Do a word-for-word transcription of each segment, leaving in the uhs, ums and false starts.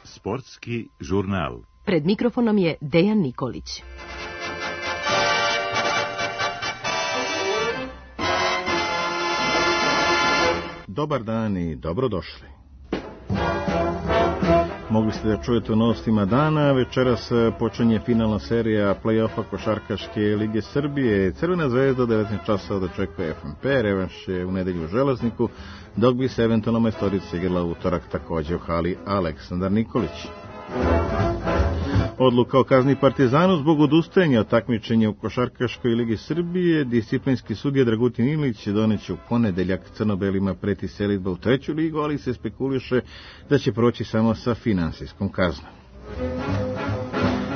Sportski žurnal. Pred mikrofonom je Dejan Nikolić. Dobar dan i dobrodošli. Mogli ste da čujete u novostima dana. Večeras počinje finalna serija play-offa Košarkaške lige Srbije. Crvena zvezda devetnaest časova dočekuje F M P, revanš je u nedelju u Železniku, dok bi se eventualno majstorica igrala u utorak takođe u hali Aleksandar Nikolić. Odluka o kazni Partizanu zbog odustajanja od takmičenja u Košarkaškoj ligi Srbije. Disciplinski sudija Dragutin Ilić doneće u ponedeljak crno-belima preti selidba u treću ligu, ali se spekuliše da će proći samo sa finansijskom kaznom.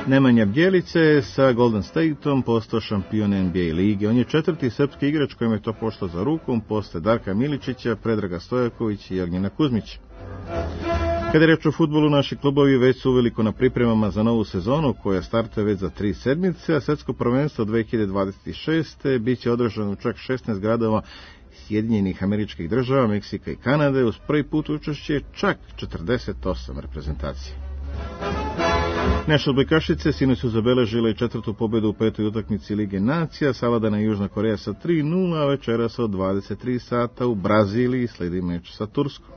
Nemanja Bjelice sa Golden Stateom postao šampion N B A lige. On je četvrti srpski igrač kojem je to pošlo za rukom posle Darka Miličića, Predraga Stojakovića i Ognjena Kuzmića. Kada je reč o fudbalu, naši klubovi već su uveliko na pripremama za novu sezonu, koja startuje već za tri sedmice, a svetsko prvenstvo dve hiljade dvadeset šeste bit će održano u čak šesnaest gradova Sjedinjenih Američkih Država, Meksika i Kanade, uz prvi put učešće čak četrdeset osam reprezentacija. Naše odbojkašice sinoć su zabeležile četvrtu pobedu u petoj utakmici Lige nacija, savladana Južna Koreja sa tri nula, a večeras od dvadeset tri sata u Braziliji sledi meč sa Turskom.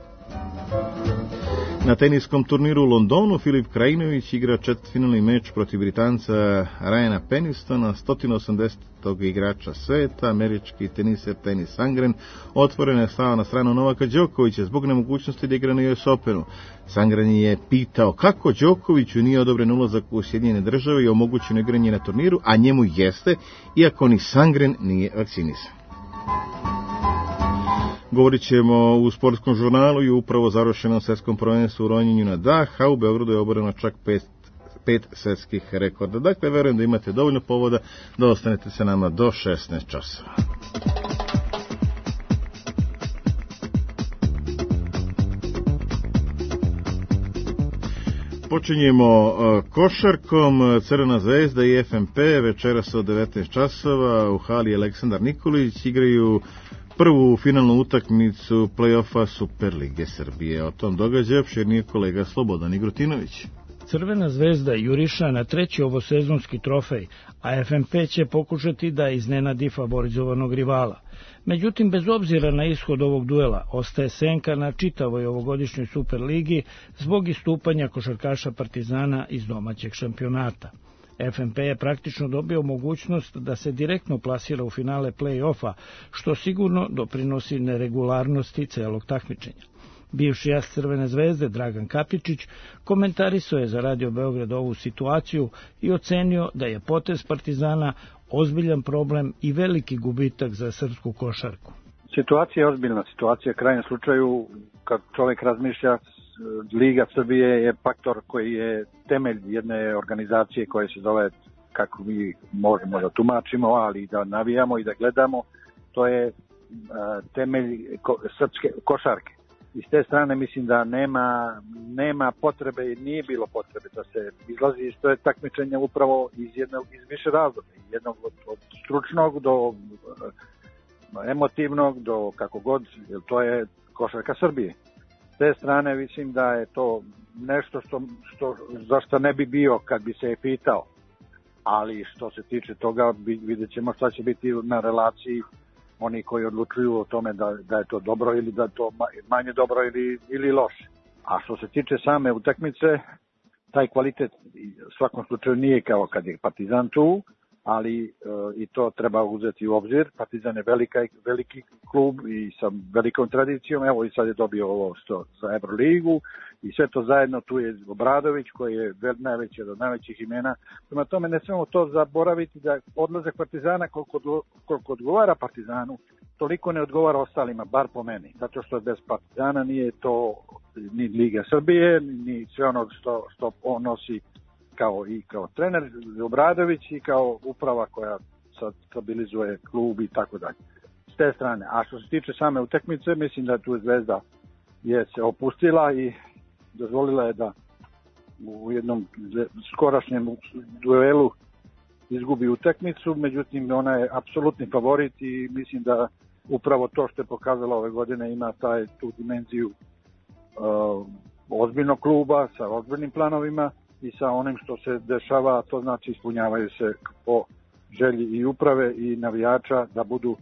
Na teniskom turniru u Londonu Filip Krajinović igra četvrtfinalni meč protiv Britanca Ryana Pennistona, sto osamdesetog igrača sveta. Američki teniser Tennis Sangren otvoreno je stao na stranu Novaka Đokovića zbog nemogućnosti da igra na U S Openu. Sangren je pitao kako Đokoviću nije odobren ulazak u Sjedinjene Države i omogućeno igranje na turniru, a njemu jeste, iako ni Sangren nije vakcinisan. Govorit ćemo u sportskom žurnalu i upravo završenom svetskom prvenstvu u ronjenju na dah, a u Beogradu je oboreno čak pet, pet svetskih rekorda. Dakle, verujem da imate dovoljno povoda da ostanete sa nama do šesnaest časova. Počinjemo košarkom. Crvena zvezda i F M P večeras od devetnaest časova u hali Aleksandar Nikolić igraju prvu finalnu utakmicu play-offa Superlige Srbije. O tom događaju opširnije kolega Slobodan Igrutinović. Crvena zvezda juriša na treći ovosezonski trofej, a F M P će pokušati da iznenadi favorizovanog rivala. Međutim, bez obzira na ishod ovog duela, ostaje senka na čitavoj ovogodišnjoj Superligi zbog istupanja košarkaša Partizana iz domaćeg šampionata. F M P je praktično dobio mogućnost da se direktno plasira u finale play-offa, što sigurno doprinosi neregularnosti celog takmičenja. Bivši as Crvene zvezde Dragan Kapičić komentarisao je za Radio Beograd ovu situaciju i ocenio da je potez Partizana ozbiljan problem i veliki gubitak za srpsku košarku. Situacija je ozbiljna, situacija u krajnjem slučaju, kad čovjek razmišlja, Liga Srbije je faktor koji je temelj jedne organizacije koje se zove, kako mi možemo da tumačimo, ali da navijamo i da gledamo, to je temelj srpske košarke. I s te strane mislim da nema, nema potrebe i nije bilo potrebe da se izlazi iz to je takmičenja upravo iz, jednog, iz više razloga, jednog od, od stručnog do emotivnog, do kako god, jer to je košarka Srbije. S te strane mislim da je to nešto što, što, zašto ne bi bio kad bi se je pitao, ali što se tiče toga vidjet ćemo šta će biti na relaciji oni koji odlučuju o tome da, da je to dobro ili da je to manje dobro ili, ili loše. A što se tiče same utakmice, taj kvalitet u svakom slučaju nije kao kad je Partizan tu, ali e, i to treba uzeti u obzir. Partizan je velika, veliki klub i sa velikom tradicijom, evo i sad je dobio ovo što za Euroligu i sve to zajedno, tu je Obradović koji je najveći od najvećih imena. Prema tome ne smemo to zaboraviti da odlazak Partizana koliko, koliko odgovara Partizanu, toliko ne odgovara ostalima, bar po meni. Zato što bez Partizana nije to ni Liga Srbije, ni sve ono što, što on nosi kao i kao trener Obradović i kao uprava koja sad stabilizuje klub i tako dalje. S te strane. A što se tiče same utakmice, mislim da tu Zvezda je se opustila i dozvolila je da u jednom skorašnjem duelu izgubi utakmicu, međutim ona je apsolutni favorit i mislim da upravo to što je pokazala ove godine ima taj, tu dimenziju uh, ozbiljnog kluba sa ozbiljnim planovima i sa onim što se dešava, to znači ispunjavaju se po želji i uprave i navijača da budu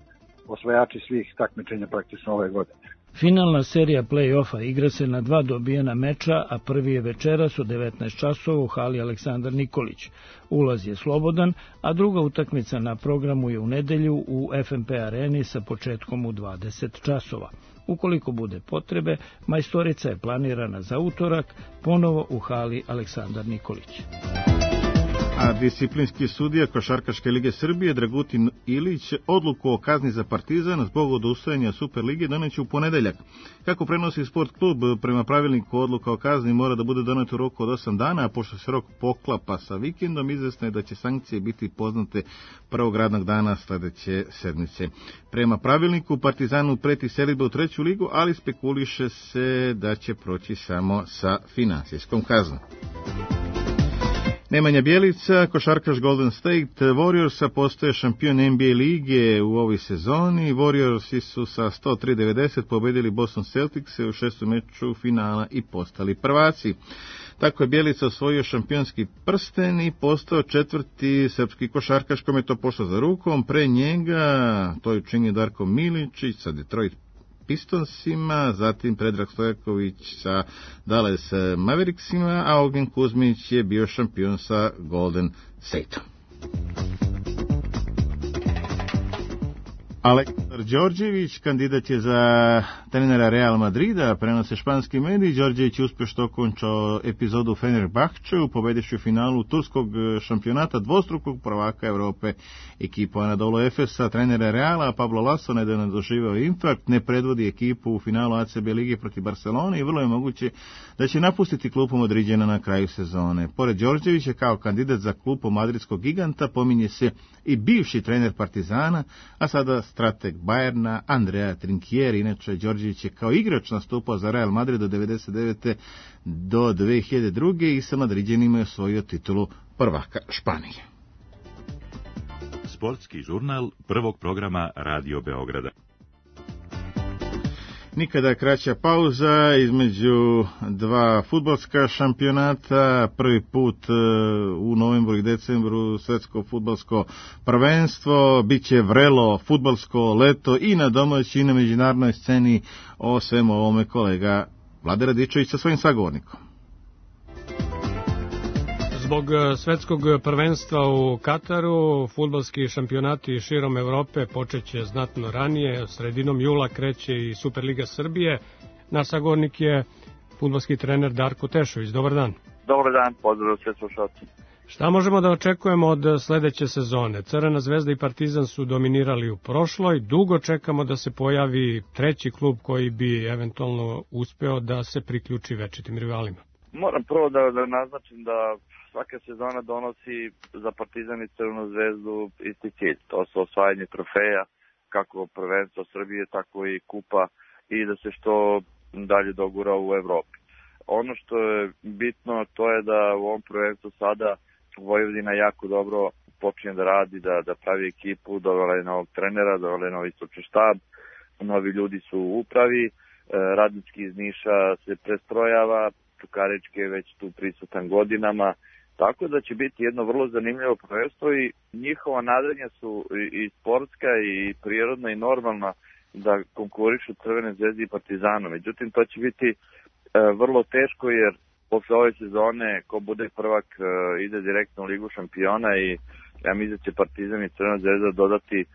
osvajači svih takmičenja praktično ove godine. Finalna serija play-offa igra se na dva dobijena meča, a prvi je večeras u devetnaest časova u hali Aleksandar Nikolić. Ulaz je slobodan, a druga utakmica na programu je u nedelju u F M P areni sa početkom u dvadeset časova. Ukoliko bude potrebe, majstorica je planirana za utorak, ponovo u hali Aleksandar Nikolić. A disciplinski sudija Košarkaške lige Srbije Dragutin Ilić odluku o kazni za Partizan zbog odustajanja Superlige doneće u ponedeljak. Kako prenosi Sport klub, prema pravilniku odluka o kazni mora da bude doneta u roku od osam dana, a pošto se rok poklapa sa vikendom, izvesno je da će sankcije biti poznate prvog radnog dana sledeće sedmice. Prema pravilniku Partizanu preti selidba u treću ligu, ali spekuliše se da će proći samo sa finansijskom kaznom. Nemanja Bjelica, košarkaš Golden State Warriorsa, postaje šampion N B A lige u ovoj sezoni. Warriorsi su sa sto tri devedeset pobedili Boston Celtics u šestom meču finala i postali prvaci. Tako je Bjelica osvojio šampionski prsten i postao četvrti srpski košarkaš kome je to pošlo za rukom. Pre njega to je učinio Darko Miličić sa Detroit Pistonsima, zatim Predrag Stojaković sa Dallas Mavericksima, a Ognjen Kuzmić je bio šampion sa Golden Stateom. Aleksandar Đorđević kandidat je za trenera Real Madrida, prenose španski mediji. Đorđević je uspješno okončao epizodu Fenerbahčeu, pobedivši u finalu turskog šampionata dvostrukog prvaka Evrope ekipu Anadolu Efesa. Trenera Reala Pablo Laso nedavno je doživeo infarkt, ne predvodi ekipu u finalu A C B lige protiv Barcelone i vrlo je moguće da će napustiti klupu Madriđana na kraju sezone. Pored Đorđevića kao kandidat za klupu madridskog giganta pominje se i bivši trener Partizana, a sada strateg Bayerna Andrea Trinchieri. Inače, Đorđević je kao igrač nastupao za Real Madrid od devedeset devete do dve hiljade druge i sa Madriđanima je osvojio titulu prvaka Španije. Sportski žurnal prvog programa Radio Beograda. Nikada kraća pauza između dva fudbalska šampionata, prvi put u novembru i decembru svetsko fudbalsko prvenstvo, biće vrelo fudbalsko leto i na domaćoj i na međunarodnoj sceni. O svemu ovome kolega Vlade Radičević sa svojim sagovornikom. Zbog svetskog prvenstva u Kataru, fudbalski šampionati širom Evrope počeće znatno ranije. Sredinom jula kreće i Superliga Srbije. Naš sagovornik je fudbalski trener Darko Tešović. Dobar dan. Dobar dan, pozdrav sve slušalci. Šta možemo da očekujemo od sledeće sezone? Crvena zvezda i Partizan su dominirali u prošloj. Dugo čekamo da se pojavi treći klub koji bi eventualno uspeo da se priključi večitim rivalima. Moram prvo da, da naznačim da svaka sezona donosi za Partizan i Crvenu zvezdu isti cilj. To su osvajanje trofeja, kako prvenstvo Srbije, tako i kupa i da se što dalje dogura u Evropi. Ono što je bitno to je da u ovom prvenstvu sada Vojvodina jako dobro počinje da radi, da, da pravi ekipu, dovela je novog trenera, dovela je novi stručni štab, novi ljudi su u upravi, Radnički iz Niša se prestrojava, Čukarički je već tu prisutan godinama, tako da će biti jedno vrlo zanimljivo prvenstvo i njihova nadanja su i sportska i prirodna i normalna da konkurišu Crvene zvezde i Partizanu. Međutim, to će biti e, vrlo teško jer posle ove sezone ko bude prvak e, ide direktno u Ligu šampiona i ja mislim da će Partizan i Crvena zvezda dodati e,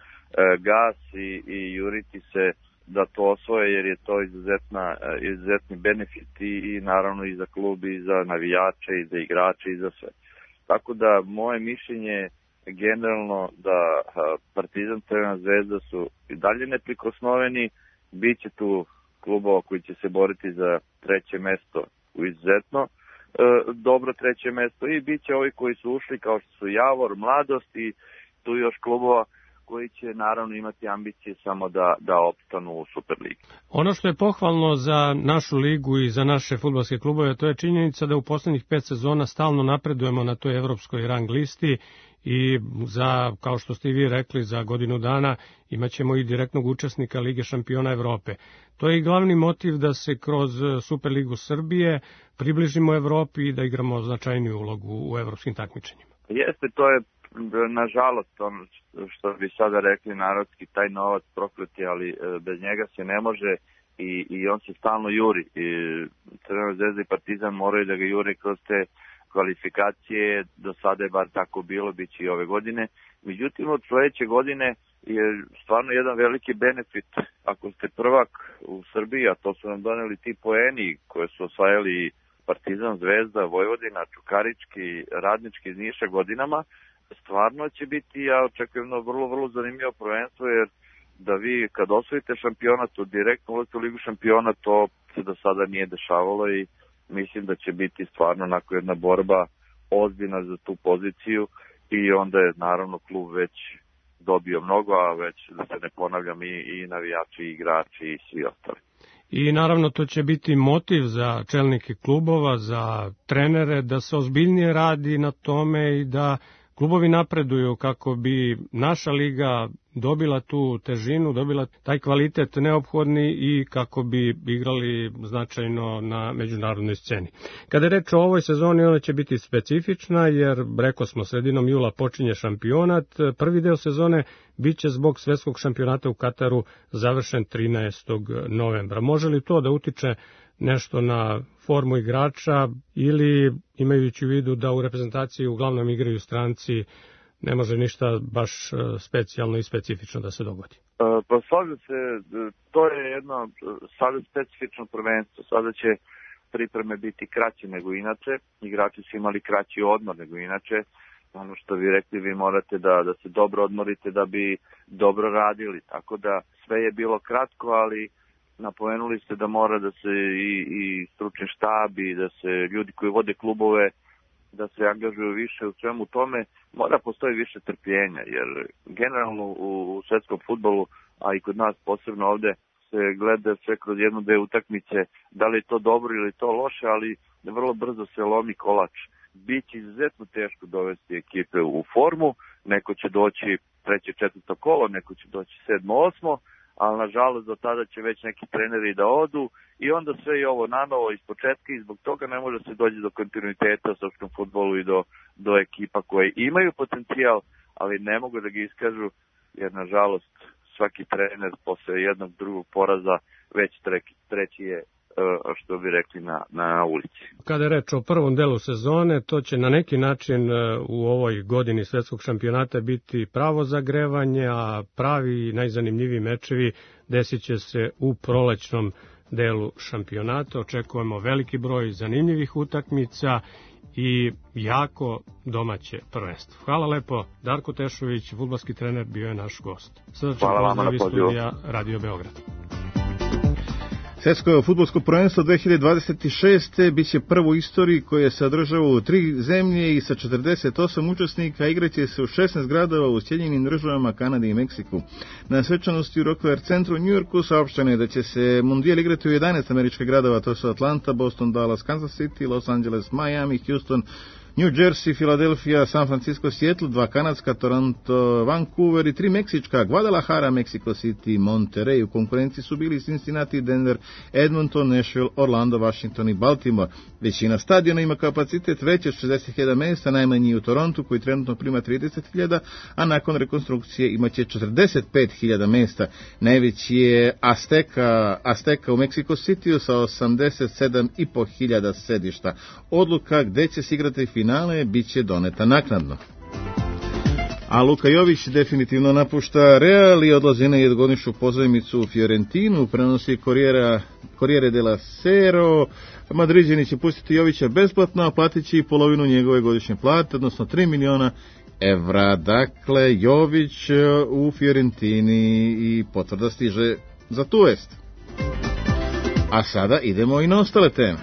gas i, i juriti se da to osvoje jer je to izuzetna, izuzetni benefit i, i naravno i za klub i za navijače i za igrače i za sve. Tako da moje mišljenje generalno da Partizan Crvena zvezda su i dalje neprikosnoveni, bit će tu klubova koji će se boriti za treće mesto u izuzetno e, dobro treće mesto i bit će ovi koji su ušli kao što su Javor, Mladost i tu još klubova koji će naravno imati ambicije samo da, da opstanu u Superligi. Ono što je pohvalno za našu ligu i za naše fudbalske klubove, to je činjenica da u poslednjih pet sezona stalno napredujemo na toj evropskoj rang listi i za, kao što ste i vi rekli, za godinu dana imaćemo i direktnog učesnika Lige šampiona Evrope. To je i glavni motiv da se kroz Superligu Srbije približimo Evropi i da igramo značajniju ulogu u evropskim takmičenjima. Jeste, to je nažalost ono što bi sada rekli narodski, taj novac prokleti, ali bez njega se ne može i, i on se stalno juri. I Crvena zvezda i Partizan moraju da ga jure kroz te kvalifikacije, do sada je bar tako bilo, bit će i ove godine. Međutim, od sledeće godine je stvarno jedan veliki benefit ako ste prvak u Srbiji, a to su nam doneli ti poeni koje su osvajali Partizan, Zvezda, Vojvodina, Čukarički, Radnički iz Niša godinama. Stvarno će biti, ja očekujem na vrlo, vrlo zanimljivo prvenstvo, jer da vi kad osvojite šampionat, u direktnu uletu Ligu šampiona, to se do sada nije dešavalo i mislim da će biti stvarno onako jedna borba ozbiljna za tu poziciju i onda je naravno klub već dobio mnogo, a već da se ne ponavljam i, i navijači, i igrači i svi ostali. I naravno to će biti motiv za čelnike klubova, za trenere da se ozbiljnije radi na tome i da klubovi napreduju kako bi naša liga dobila tu težinu, dobila taj kvalitet neophodni i kako bi igrali značajno na međunarodnoj sceni. Kada je reč o ovoj sezoni, ona će biti specifična jer, rekao smo, sredinom jula počinje šampionat. Prvi deo sezone biće zbog svetskog šampionata u Kataru završen trinaestog novembra. Može li to da utiče nešto na formu igrača ili, imajući u vidu da u reprezentaciji uglavnom igraju stranci, ne može ništa baš specijalno i specifično da se dogodi? Pa slažem se, to je jedno sada specifično prvenstvo. Sada će pripreme biti kraće nego inače, igrači su imali kraći odmor nego inače. Ono što vi rekli, vi morate da, da se dobro odmorite da bi dobro radili, tako da sve je bilo kratko, ali napomenuli ste da mora da se i, i stručni štab i da se ljudi koji vode klubove da se angažuju više u svemu tome, mora postoji više trpljenja, jer generalno u, u svetskom fudbalu, a i kod nas posebno ovde, se gleda sve kroz jednu, dve utakmice, da li je to dobro ili to loše, ali vrlo brzo se lomi kolač. Biće izuzetno teško dovesti ekipe u formu, neko će doći treće, četvrto kolo, neko će doći sedmo, osmo, ali nažalost do tada će već neki treneri da odu i onda sve je ovo nanovo iz početka i zbog toga ne može se doći do kontinuiteta u srpskom fudbalu i do, do ekipa koje imaju potencijal, ali ne mogu da ga iskažu jer nažalost svaki trener posle jednog drugog poraza već treći, treći je što bi rekli na, na ulici. Kada je reč o prvom delu sezone, to će na neki način u ovoj godini svetskog šampionata biti pravo zagrevanje, a pravi i najzanimljiviji mečevi desit će se u prolećnom delu šampionata. Očekujemo veliki broj zanimljivih utakmica i jako domaće prvenstvo. Hvala lepo, Darko Tešović, fudbalski trener, bio je naš gost. Srdačan pozdrav iz studija Radio Beograd. Svetsko fudbalsko prvenstvo dve hiljade dvadeset šeste biće prvo u istoriji koje se održava u tri zemlje i sa četrdeset osam učesnika igraće se u šesnaest gradova u Sjedinjenim Državama, Kanadi i Meksiku. Na svečanosti u Rockefeller centru u Njujorku saopšteno je da će se mundijal igrati u jedanaest američkih gradova, to su Atlanta, Boston, Dallas, Kansas City, Los Angeles, Miami, Houston, New Jersey, Philadelphia, San Francisco, Seattle, dva kanadska, Toronto, Vancouver i tri meksička, Guadalajara, Mexico City, Monterey. U konkurenciji su bili Cincinnati, Denver, Edmonton, Nashville, Orlando, Washington i Baltimore. Većina stadiona ima kapacitet veći od šezdeset hiljada mesta, najmanji u Torontu koji trenutno prima trideset hiljada, a nakon rekonstrukcije imaće četrdeset pet hiljada mesta. Najveći je Azteca, Azteca u Mexico City sa osamdeset sedam i po hiljada sedišta. Odluka gde će se igrati finale biće doneta naknadno. A Luka Jović definitivno napušta Real i odlazi na jednogodišnju pozajmicu u Fiorentinu, prenosi Corriere della Sera. Madriđani će pustiti Jovića besplatno, a platit će i polovinu njegove godišnje plate, odnosno tri miliona evra. Dakle, Jović u Fiorentini i potvrda stiže za tu vest. A sada idemo i na ostale teme.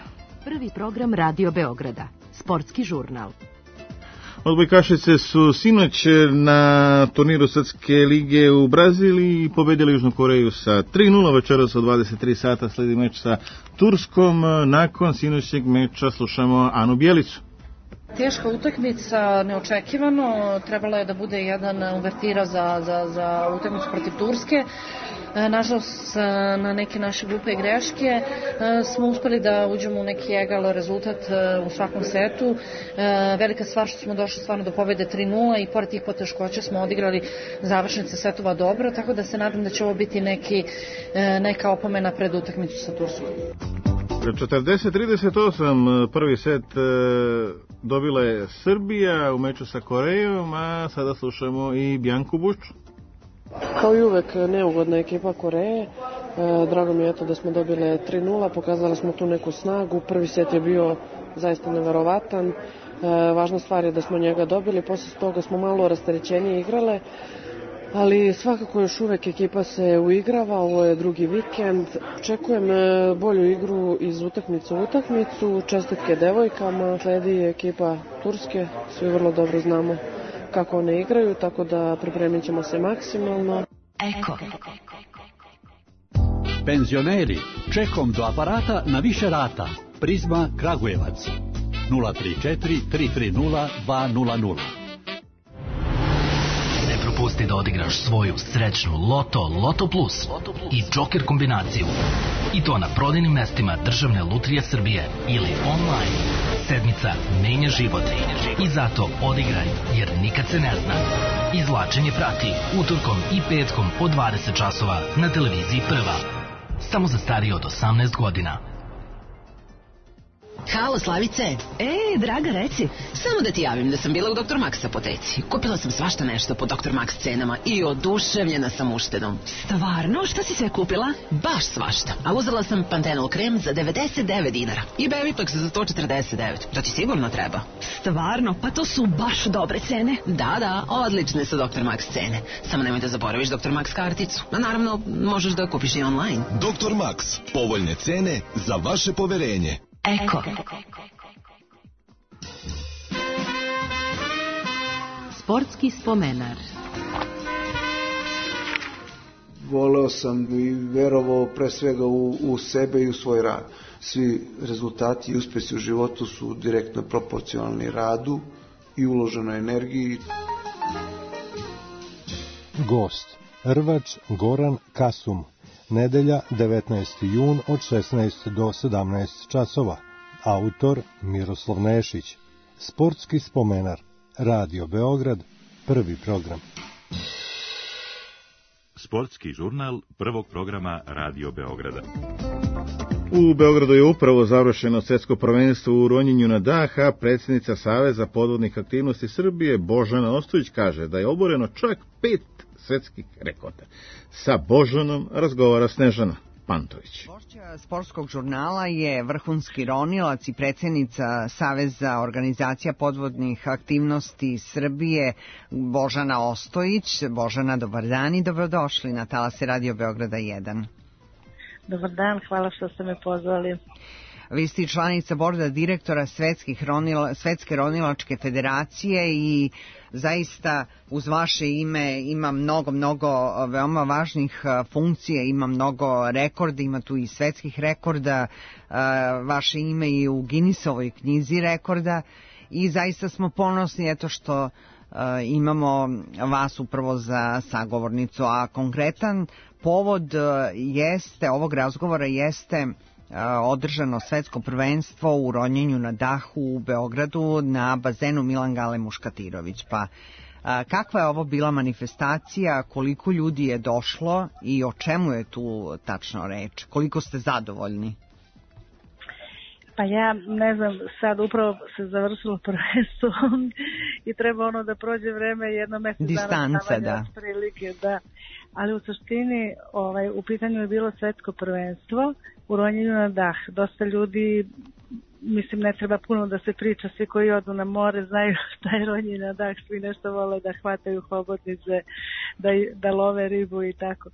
Prvi program Radio Beograda. Sportski žurnal. Odbojkašice su sinoć na turniru Svetske lige u Braziliji pobedili Južnu Koreju sa tri nula, večeras od dvadeset tri sata sledi meč sa Turskom. Nakon sinoćnjeg meča slušamo Anu Bjelicu. Teška utakmica, neočekivano, trebalo je da bude jedan uvertira za, za, za utakmicu protiv Turske. Nažalost, na neke naše glupe greške smo uspeli da uđemo u neki egal rezultat u svakom setu. Velika stvar što smo došli stvarno do pobjede tri nula i pored tih poteškoća smo odigrali završnice setova dobro, tako da se nadam da će ovo biti neki, neka opomena pred utakmicu sa Turskom. četrdeset trideset osam prvi set dobila je Srbija u meču sa Korejom, a sada slušamo i Bjanku Bušču. Kao i uvek neugodna ekipa Koreje, drago mi je to da smo dobile tri nula, pokazali smo tu neku snagu, prvi set je bio zaista neverovatan, važna stvar je da smo njega dobili, posle toga smo malo rasterećenije igrale, ali svakako još uvek ekipa se uigrava, ovo je drugi vikend, očekujem bolju igru iz utakmice u utakmicu, čestitke devojkama, sledi ekipa Turske, svi vrlo dobro znamo kako one igraju, tako da pripremit ćemo se maksimalno. Eko. Penzioneri, čekom do aparata na više rata. Prizma Kragujevac. nula tri četiri tri tri nula dva nula nula. Ne propusti da odigraš svoju srećnu Loto, Loto Plus i Joker kombinaciju. I to na prodajnim mestima Državne lutrije Srbije ili online. Sedmica menja život i zato odigraj, jer nikad se ne zna. Izvlačenje prati utorkom i petkom od dvadeset časova na televiziji Prva. Samo za starije od osamnaest godina. Halo, Slavice. E, draga, reci. Samo da ti javim da sam bila u doktor Max apoteci. Kupila sam svašta nešto po doktor Max cenama i oduševljena sam uštedom. Stvarno? Šta si sve kupila? Baš svašta. A uzela sam Pantenol krem za devedeset devet dinara i Bevitox za sto četrdeset devet. To ti sigurno treba. Stvarno? Pa to su baš dobre cene. Da, da, odlične su doktor Max cene. Samo nemoj da zaboraviš doktor Max karticu. A naravno, možeš da kupiš i online. doktor Max. Povoljne cene za vaše poverenje. Eko. Sportski spomenar. Voleo sam i verovao pre svega u, u sebe i u svoj rad. Svi rezultati i uspesi u životu su direktno proporcionalni radu i uloženoj energiji. Gost, rvač Goran Kasum. Nedelja, devetnaesti jun od šesnaest do sedamnaest časova. Autor Miroslav Nešić. Sportski spomenar. Radio Beograd, prvi program. Sportski žurnal prvog programa Radio Beograda. U Beogradu je upravo završeno svjetsko prvenstvo u ronjenju na dah, a predsjednica Saveza podvodnih aktivnosti Srbije Božana Ostojić kaže da je oboreno čak pet svjetskih rekorda. Sa Božanom razgovara Snežana Pantović. Gošća sportskog žurnala je vrhunski ronilac i predsjednica Saveza organizacija podvodnih aktivnosti Srbije Božana Ostojić. Božana, dobar dan i dobrodošli na talase Radio Beograda jedan. Dobar dan, hvala što ste me pozvali. Vi ste članica borda direktora Svetskih ronila, Svetske ronilačke federacije i zaista uz vaše ime ima mnogo, mnogo veoma važnih funkcija, ima mnogo rekorda, ima tu i svetskih rekorda, vaše ime je u Guinnessovoj knjizi rekorda i zaista smo ponosni eto što imamo vas upravo za sagovornicu, a konkretan povod jeste, ovog razgovora jeste održano svetsko prvenstvo u ronjenju na dahu u Beogradu na bazenu Milan Gale Muškatirović. Pa kakva je ovo bila manifestacija, koliko ljudi je došlo i o čemu je tu tačno reč? Koliko ste zadovoljni? Pa ja ne znam, sad upravo se završilo prvenstvo i treba ono da prođe vreme jedno mjesec distanca, da. Prilike, da. Ali u suštini ovaj, u pitanju je bilo svetsko prvenstvo u ronjenju na dah. Dosta ljudi mislim ne treba puno da se priča, svi koji odu na more znaju šta je ronjenje na dah, svi nešto vole da hvataju hobotnice, da, da love ribu i tako.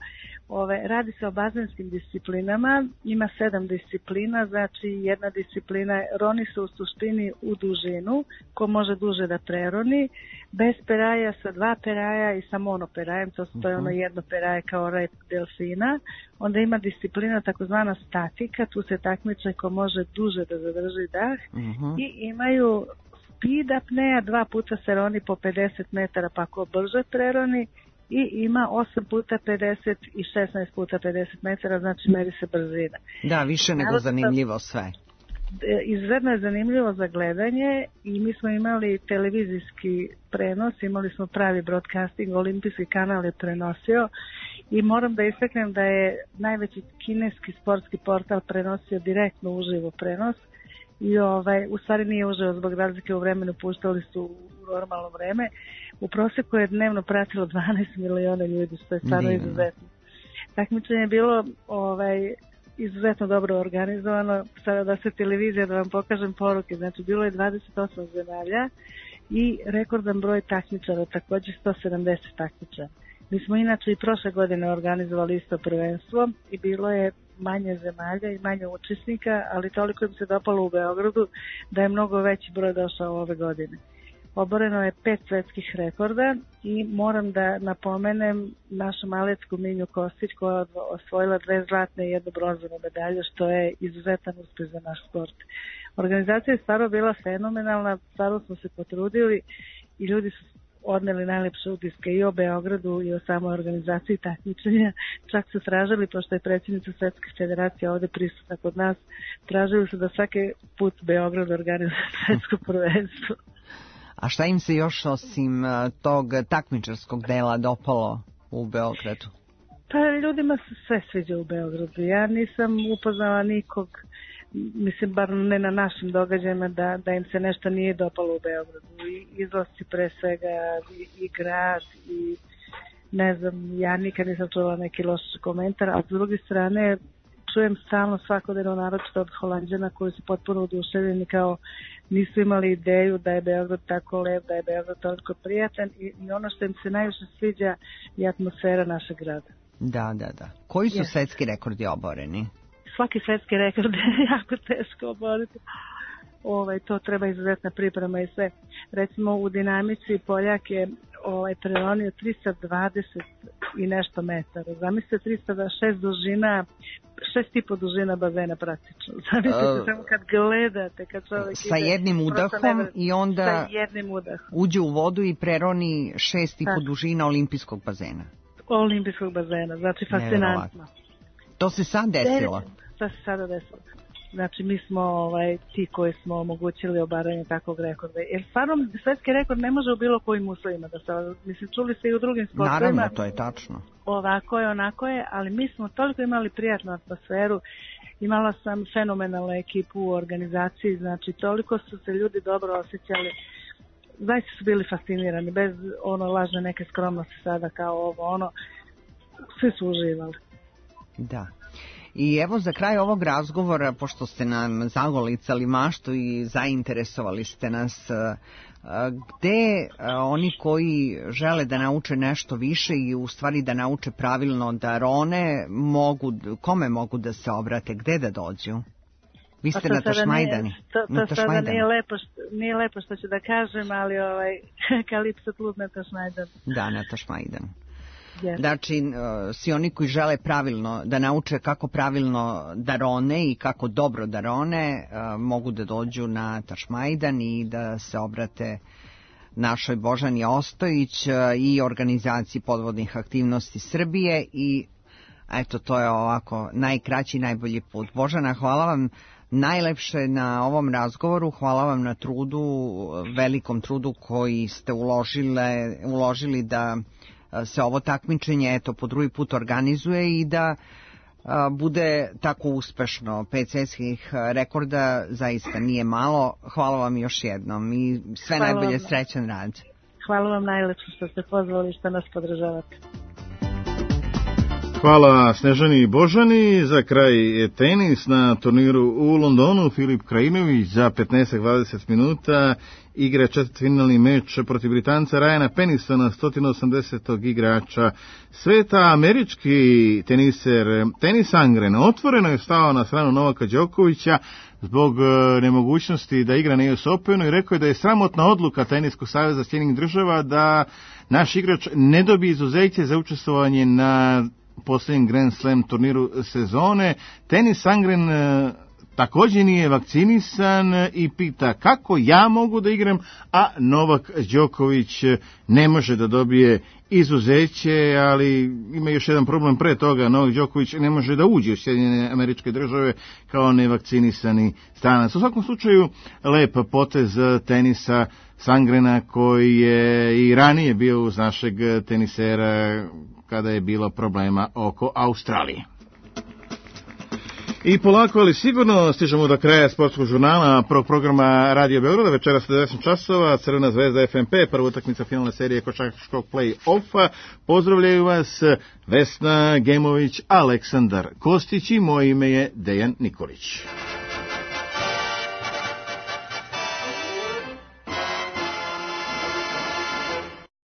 Ove, radi se o bazenskim disciplinama, ima sedam disciplina, znači jedna disciplina, roni se u suštini u dužinu, ko može duže da preroni, bez peraja, sa dva peraja i sa monoperajem, to, to je ono jedno peraje kao rep delfina. Onda ima disciplina takozvana statika, tu se takmiče ko može duže da zadrži dah. Uh-huh. I imaju speed apnea, dva puta se roni po pedeset metara pa ko brže preroni, i ima osam puta pedeset i šesnaest puta pedeset metara, znači meri se brzina. Da, više nego zanimljivo sve. Izuzetno je zanimljivo za gledanje i mi smo imali televizijski prenos, imali smo pravi broadcasting, olimpijski kanal je prenosio i moram da istaknem da je najveći kineski sportski portal prenosio direktno uživo prenos i ovaj, u stvari nije uživo zbog razlike u vremenu, puštali su u normalno vreme. U proseku je dnevno pratilo dvanaest miliona ljudi, što je stvarno izuzetno. Takmičenje je bilo ovaj, izuzetno dobro organizovano. Sada da se televizija, da vam pokažem poruke, znači bilo je dvadeset osam zemalja i rekordan broj takmičara, također sto sedamdeset takmičara. Mi smo inače i prošle godine organizovali isto prvenstvo i bilo je manje zemalja i manje učesnika, ali toliko im se dopalo u Beogradu da je mnogo veći broj došao ove godine. Oboreno je pet svetskih rekorda i moram da napomenem našu malecku Minju Kostić koja je osvojila dve zlatne i jednu bronzanu medalju, što je izuzetan uspjeh za naš sport. Organizacija je stvarno bila fenomenalna, stvarno smo se potrudili i ljudi su odneli najlepše utiske i o Beogradu i o samoj organizaciji takmičenja. Čak su tražili, pošto je predsjednica Svetske federacije ovdje prisutna kod nas, tražili su da svaki put Beograd organizuje svetsko prvenstvo. A šta im se još osim tog takmičarskog dela dopalo u Beogradu? Pa ljudima se sve sviđa u Beogradu. Ja nisam upoznala nikog, mislim bar ne na našim događajima, da, da im se nešto nije dopalo u Beogradu. I izlasci pre svega, i, i grad, i ne znam, ja nikad nisam čula neki loš komentar, a s druge strane čujem stalno svakodnevno, naročito od Holanđana koji su potpuno oduševljeni, kao nisu imali ideju da je Beograd tako lep, da je Beograd toliko prijatan i, i ono što im se najviše sviđa je atmosfera našeg grada. Da, da, da. Koji su yes. svetski rekordi oboreni? Svaki svetski rekord je jako teško oboriti. Ovaj, to treba izuzetna priprema i sve. Recimo u dinamici Poljak je ovaj, preronio trista dvadeset i nešto metara. Zamislite trista šest dužina, šest i po dužina bazena praktično. Zamislite uh, samo kad gledate, kad čovjek sa ide, jednim udahom nevr... i onda jednim udahom. uđe u vodu i preroni šest i po dužina olimpijskog bazena. Olimpijskog bazena, znači fascinantno. To se sad desilo? To se sada desilo. Znači mi smo ovaj, ti koji smo omogućili obaranje takvog rekorda. Jer stvarno svetski rekord ne može u bilo kojim uslovima da se, mislim, čuli se i u drugim sportovima. Naravno, to je tačno. Ovako je, onako je, ali mi smo toliko imali prijatnu atmosferu. Imala sam fenomenalnu ekipu u organizaciji, znači toliko su se ljudi dobro osjećali. Zaista su bili fascinirani, bez ono lažne neke skromnosti sada kao ovo, ono, svi su uživali. Da. I evo za kraj ovog razgovora, pošto ste nam zagolicali maštu i zainteresovali ste nas, gde oni koji žele da nauče nešto više i u stvari da nauče pravilno da rone, mogu, kome mogu da se obrate, gde da dođu? Vi ste na Tašmajdani. To, to sada nije lepo, što, nije lepo što ću da kažem, ali ovaj, Kalipso klub na Tašmajdanu. Da, na Tašmajdanu. Yes. Znači, svi oni koji žele pravilno da nauče kako pravilno da rone i kako dobro da rone, mogu da dođu na Tašmajdan i da se obrate našoj Božani Ostojić i organizaciji podvodnih aktivnosti Srbije i eto, to je ovako najkraći, najbolji put. Božana, hvala vam najlepše na ovom razgovoru, hvala vam na trudu, velikom trudu koji ste uložile, uložili da se ovo takmičenje eto po drugi put organizuje i da a, bude tako uspešno. Pet svjetskih rekorda zaista nije malo. Hvala vam još jednom i sve hvala najbolje, vam. Srećan rad. Hvala vam najlepše što ste pozvali, što nas podržavate. Hvala Snežani i Božani. Za kraj tenis na turniru u Londonu. Filip Krajinović za petnaest do dvadeset minuta igra četvrtfinalni meč protiv Britanca Ryana Pennisona, sto osamdesetog igrača sveta. Američki teniser Tennis Sangren otvoreno je stao na stranu Novaka Đokovića zbog nemogućnosti da igra na U S Openu i rekao je da je sramotna odluka Teniskog saveza Sjedinjenih Država da naš igrač ne dobije izuzeće za učestvovanje na posljednjem Grand Slam turniru sezone. Tennis Sangren također nije vakcinisan i pita kako ja mogu da igram, a Novak Đoković ne može da dobije izuzeće, ali ima još jedan problem pre toga. Novak Đoković ne može da uđe u Sjedinjene Američke Države kao nevakcinisani stranac. U svakom slučaju, lep potez tenisa Sangrena koji je i ranije bio uz našeg tenisera kada je bilo problema oko Australije. I polako, ali sigurno stižemo do kraja sportskog žurnala prvog programa Radio Beograda. Večeras deset časova, Crvena zvezda F M P, prva utakmica finalne serije košarkaškog play-offa. Pozdravljaju vas Vesna Gemović, Aleksandar Kostić i moje ime je Dejan Nikolić.